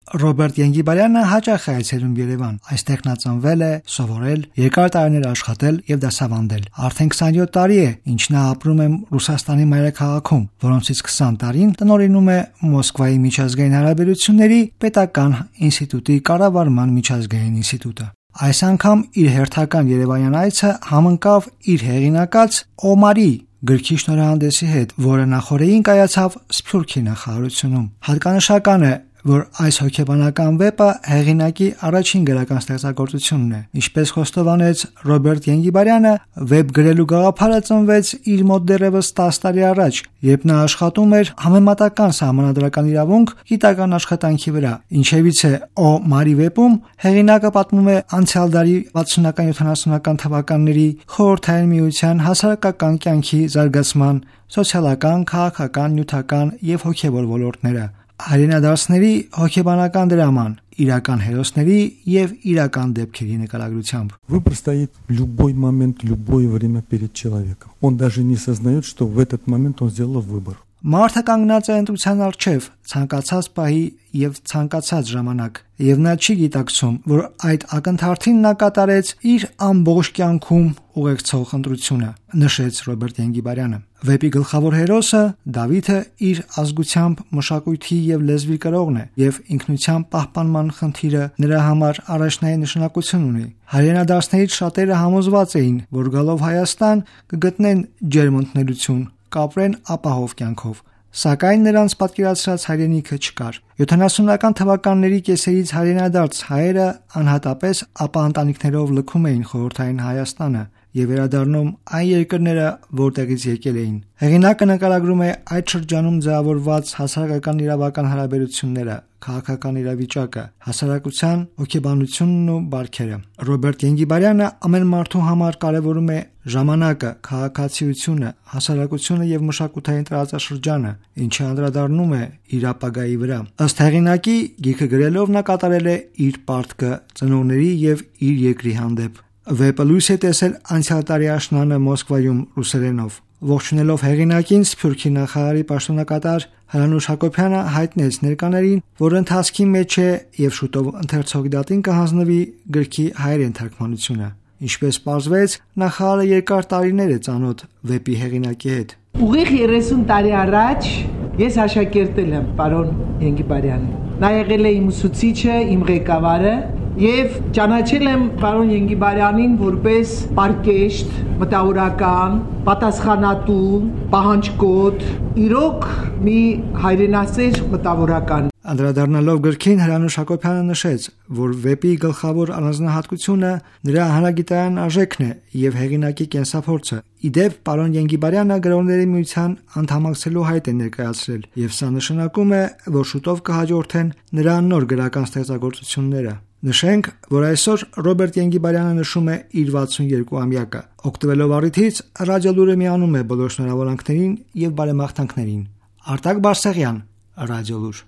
Ռոբերտ Ենգիբարյանը հաճախ է այցելում Երևան։ Այստեղ նա ծնվել է, սովորել, երկար տարիներ աշխատել եւ դասավանդել։ Արդեն 27 տարի է, ինչ նա ապրում է Ռուսաստանի մայրաքաղաքում, որոնցից 20 տարին տնօրինում է Մոսկվայի միջազգային հարաբերությունների պետական ինստիտուտի կառավարման միջազգային ինստիտուտը։ Այս անգամ իր հերթական երևանյան այցը համընկավ իր հեղինակած Օմարի գրքի շնորհանդեսի հետ, որը նախորդին կայացավ Սփյուռքի նախարարությունում։ Հատկանշական է, որ այս հոգեբանական վեպը հեղինակի առաջին գրական ստեղծագործությունն է։ Ինչպես խոստովանեց Ռոբերտ Ենգիբարյանը, վեպ գրելու գաղափարը ծնվեց իր մոտ դեռևս 10 տարի առաջ, երբ նա աշխատում էր համեմատական սահմանադրական իրավունք գիտական աշխատանքի վրա։ Ինչևից է Օմարի վեպում հեղինակը պատմում է անցյալ դարի 60-70-ական թվականների Խորհրդային Միության հասարակական կյանքի զարգացման սոցիալական, քաղաքական, նյութական եւ հոգեվոր ոլորտները, հայրենադարձների հոգեբանական դրաման, իրական հերոսների եւ իրական դեպքերի նկարագրությամբ։ Выбор стоит в любой момент, любое время перед человеком. Он даже не сознает, что в этот момент он сделал выбор. Մարդը կանգնած է ընտրության առջև ցանկացած պահի եւ ցանկացած ժամանակ, եւ նա չի գիտակցում, որ այդ ակնթարթին նա կատարեց իր ամբողջ կյանքում ուղեկցող ընտրությունը, նշեց Ռոբերտ Ենգիբարյանը։ Վեպի գլխավոր հերոսը Դավիթը իր ազգությամբ, մշակույթի եւ լեզվի կրողն է, եւ ինքնության պահպանման խնդիրը նրա համար առաջնային նշանակություն ունի։ Հայրենադարձներից շատերը համոզված էին, որ գալով Հայաստան կգտնեն ջերմ ընդունելություն, կապրեն ապահով կյանքով, սակայն նրանց պատկերացրած հայրենիքը չկար։ 70-ական թվականների կեսերից հայրենադարձ հայերը անհատապես ապա ընտանիքներով լքում էին խորհրդային Հայաստանը եւ վերադառնում այն երկրները, որտեղից եկել էին։ Հեղինակը նկարագրում է այդ շրջանում ձևավորված հասարակական իրավական հարաբերությունները, քաղաքական իրավիճակը, հասարակության հոգեբանությունն ու բարքերը։ Ռոբերտ Ենգիբարյանը ամեն մարդու համար կարևորում է ժամանակը, քաղաքացիությունը, հասարակությունը եւ մշակութային տարածաշրջանը, ինչը անդրադառնում է իր ապագայի վրա։ Ըստ հեղինակի, գիրքը գրելով նա կատարել է իր պարտքը ծնողների եւ իր երկրի հանդեպ։ Վեպը լույս է տեսել անցյալ տարի աշնանը Մոսկվայում ռուսերենով։ Ողջունելով հեղինակին, Սփյուռքի նախարարի պաշտոնակատար Հրանուշ Հակոբյանը հայտնեց ներկաներին, որ ընթացքի մեջ է եւ շուտով ընթերցողի դատին կհանձնվի գրքի հայերեն թարգմանությունը։ Ինչպես պարզվեց, նախարարը երկար տարիներ է ծանոթ վեպի հեղինակի հետ։ Ուղիղ 30 տարի առաջ ես աշակերտել եմ պարոն Ենգիբարյանին։ Նա եղել է իմ ուսուցիչը, իմ ղեկավարը եւ ճանաչել եմ պարոն Ենգիբարյանին որպես պարկեշտ, մտավորական, պատասխանատու, պահանջկոտ, իրոք մի հայրենասեր մտավորական։ Անդրադառնալով գրքին, Հրանուշ Հակոբյանը նշեց, որ վեպի գլխավոր առանձնահատկությունը նրա հանրագիտային արժեքն է եւ հեղինակի կենսափորձը։ Իդեպ, պարոն Ենգիբարյանը գրողների միության անդամակցելու հայտ է ներկայացրել, եւ սա նշանակում է, որ շուտով կհաջորդեն նրա նոր գրական ստեղծագործությունները։ Նշենք, որ այսօր Ռոբերտ Ենգիբարյանը նշում է իր 62-ամյակը։ Օգտվելով առիթից, Ռադիոլուրը միանում է բոլոր շնորհավորանքներին եւ բարեմաղթանքներին։ Արտակ Բարսեղյան, Ռադիոլուր։